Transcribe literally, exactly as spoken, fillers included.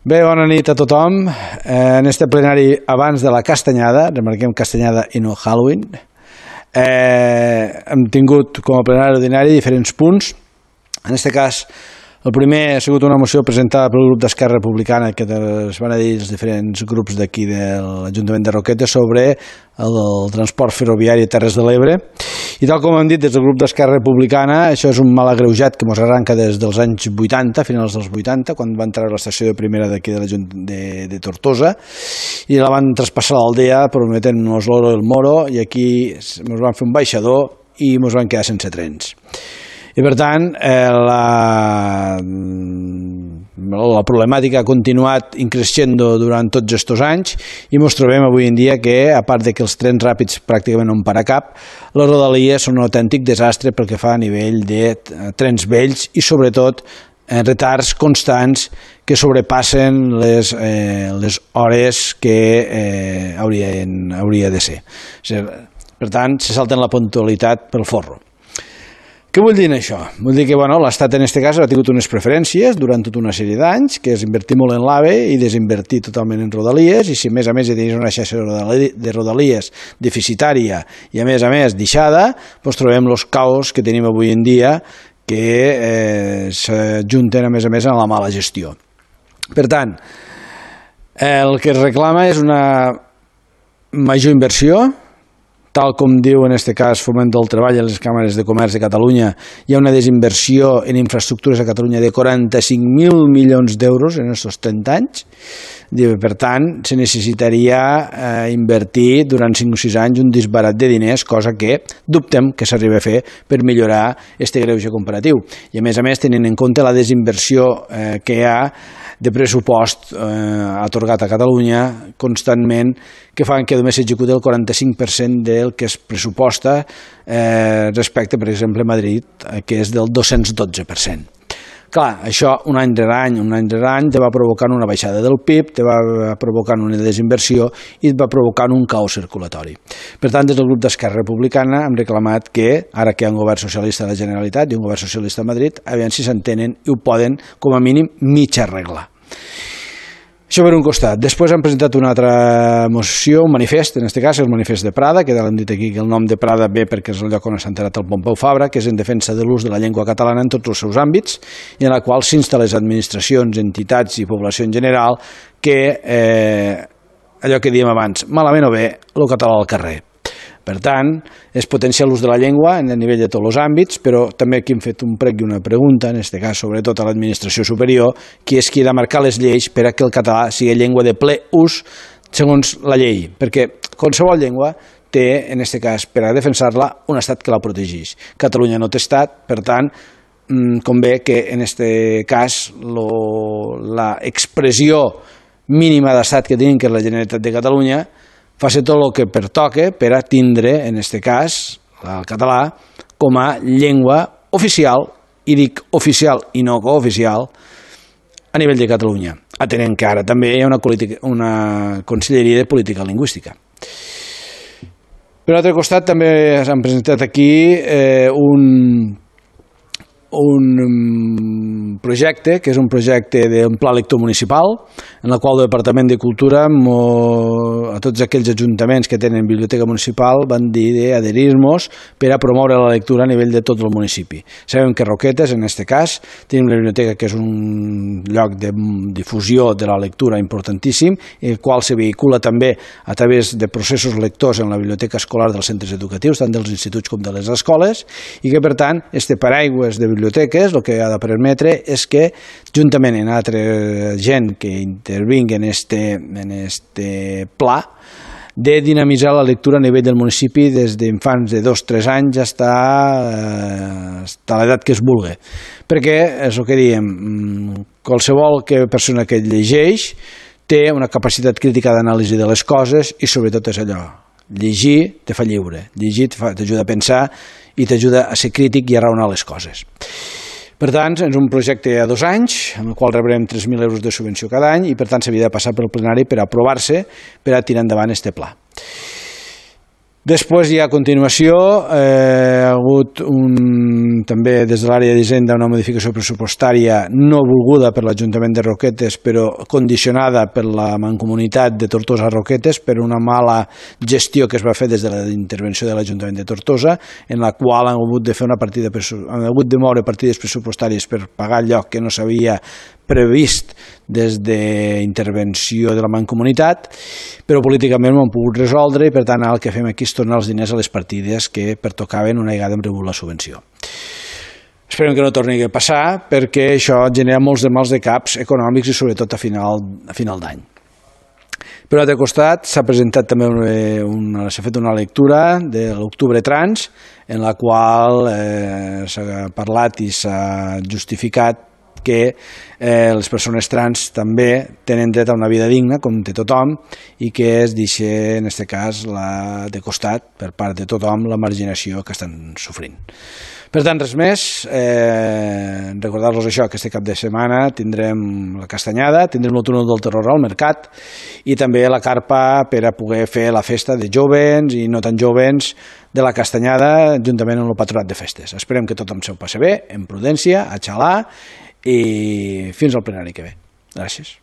Bé, bona nit a tothom. En este plenari abans de la castanyada, remarquem castanyada i no Halloween, eh, hem tingut com a plenari ordinari diferents punts. En aquest cas, el primer ha sigut una moció presentada pel grup d'Esquerra Republicana que es van a dir els diferents grups d'aquí de l'Ajuntament de Roquetes sobre el, el transport ferroviari a Terres de l'Ebre. I tal com hem dit des del grup d'Esquerra Republicana, això és un mal agreujat que ens arranca des dels anys vuitanta, finals dels vuitanta, quan va entrar a l'estació de primera d'aquí de, de, de Tortosa, i la van traspassar a l'aldea prometent-nos l'oro i el moro, i aquí ens van fer un baixador i ens van quedar sense trens. I per tant, eh, la, la problemàtica ha continuat increixendo durant tots aquests anys i ens trobem avui en dia que, a part de que els trens ràpids pràcticament no en para cap, les rodalies són un autèntic desastre pel que fa a nivell de trens vells i sobretot eh, retards constants que sobrepassen les, eh, les hores que eh, haurien, hauria de ser. O sigui, per tant, se salten la puntualitat pel forro. Què vull dir això? Vull dir que bueno, l'Estat en aquest cas ha tingut unes preferències durant tota una sèrie d'anys, que és invertir molt en l'AVE i desinvertir totalment en rodalies, i si a més a més hi tenies una xarxa de rodalies deficitària i a més a més deixada, doncs trobem els caos que tenim avui en dia que eh, s'ajunten a més a més en la mala gestió. Per tant, el que es reclama és una major inversió. Tal com diu en aquest cas Foment del Treball i les càmeres de comerç de Catalunya, hi ha una desinversió en infraestructures a Catalunya de quaranta-cinc mil milions d'euros en aquests trenta anys. Per tant, se necessitaria eh, invertir durant cinc o sis anys un disbarat de diners, cosa que dubtem que s'arribi a fer per millorar aquest greuge comparatiu. I a més a més, tenint en compte la desinversió eh, que hi ha de pressupost eh, atorgat a Catalunya constantment, que fan que només s'executi el quaranta-cinc per cent del que es pressuposta eh, respecte, per exemple, a Madrid, que és del dos-cents dotze per cent. Clar, això un any rere any, un any rere any, te va provocant una baixada del P I B, te va provocant una desinversió i et va provocant un caos circulatori. Per tant, des del grup d'Esquerra Republicana hem reclamat que, ara que hi ha un govern socialista a la Generalitat i un govern socialista a Madrid, aviam si s'entenen i ho poden, com a mínim, mig arreglar. Això per un costat. Després han presentat una altra moció, un manifest, en aquest cas el manifest de Prada, que l'hem dit aquí que el nom de Prada ve perquè és el lloc on s'ha enterat el Pompeu Fabra, que és en defensa de l'ús de la llengua catalana en tots els seus àmbits, i en la qual s'insta les administracions, entitats i població en general que, eh, allò que dèiem abans, malament o bé, el català al carrer. Per tant, és potenciar l'ús de la llengua a nivell de tots els àmbits, però també aquí hem fet un prec i una pregunta, en aquest cas sobretot a l'administració superior, qui és qui ha de marcar les lleis per a que el català sigui llengua de ple ús segons la llei, perquè qualsevol llengua té, en aquest cas, per a defensar-la, un estat que la protegeix. Catalunya no té estat, per tant, convé que en aquest cas l'expressió mínima d'estat que tenim, que és la Generalitat de Catalunya, faci tot el que pertoque per a tindre, en aquest cas, el català, com a llengua oficial, i dic oficial i no cooficial, a nivell de Catalunya, atenent que ara també hi ha una, una Conselleria de Política Lingüística. Per l'altre costat també s'han presentat aquí eh, un... un projecte, que és un projecte d'un pla lector municipal, en el qual el Departament de Cultura a tots aquells ajuntaments que tenen biblioteca municipal van dir d'adherir-nos per a promoure la lectura a nivell de tot el municipi. Sabem que Roquetes, en aquest cas, tenim la biblioteca que és un lloc de difusió de la lectura importantíssim, el qual se vehicula també a través de processos lectors en la biblioteca escolar dels centres educatius, tant dels instituts com de les escoles, i que, per tant, este paraigües de biblioteques el que ha de permetre és que, juntament amb altra gent que intervingui en este, en este pla, de dinamitzar la lectura a nivell del municipi des d'infants de dos a tres anys fins a l'edat que es vulgui. Perquè, és el que diem, qualsevol persona que llegeix té una capacitat crítica d'anàlisi de les coses i sobretot és allò. Llegir te fa lliure, llegir t'ajuda a pensar i t'ajuda a ser crític i a raonar les coses. Per tant, és un projecte a dos anys, en el qual rebrem tres mil euros de subvenció cada any i per tant s'havia de passar pel plenari per aprovar-se per a tirar endavant aquest pla. Després hi ha a continuació, eh, ha hagut un, també des de l'àrea d'Hisenda una modificació pressupostària no volguda per l'Ajuntament de Roquetes però condicionada per la Mancomunitat de Tortosa Roquetes per una mala gestió que es va fer des de la intervenció de l'Ajuntament de Tortosa, en la qual han hagut de fer una partida, han hagut de moure partides pressupostàries per pagar allò que no s'havia previst des d'intervenció de la Mancomunitat, però políticament ho han pogut resoldre i per tant el que fem aquí és tornar els diners a les partides que pertocaven una vegada hem rebut la subvenció. Esperem que no torni a passar perquè això genera molts de mals de caps econòmics i sobretot a final, a final d'any. Per un altre costat s'ha presentat també una, s'ha fet una lectura de l'Octubre Trans en la qual eh, s'ha parlat i s'ha justificat que eh, les persones trans també tenen dret a una vida digna, com té tothom, i que es deixa, en aquest cas, la, de costat, per part de tothom, la marginació que estan sofrint. Per tant, res més, eh, recordar-los això, que este cap de setmana tindrem la castanyada, tindrem el túnel del terror al mercat i també la carpa per a poder fer la festa de jovens i no tan jovens de la castanyada juntament amb el patronat de festes. Esperem que tothom s'ho passi bé, en prudència, a xalar, i fins al plenari que ve. Gràcies.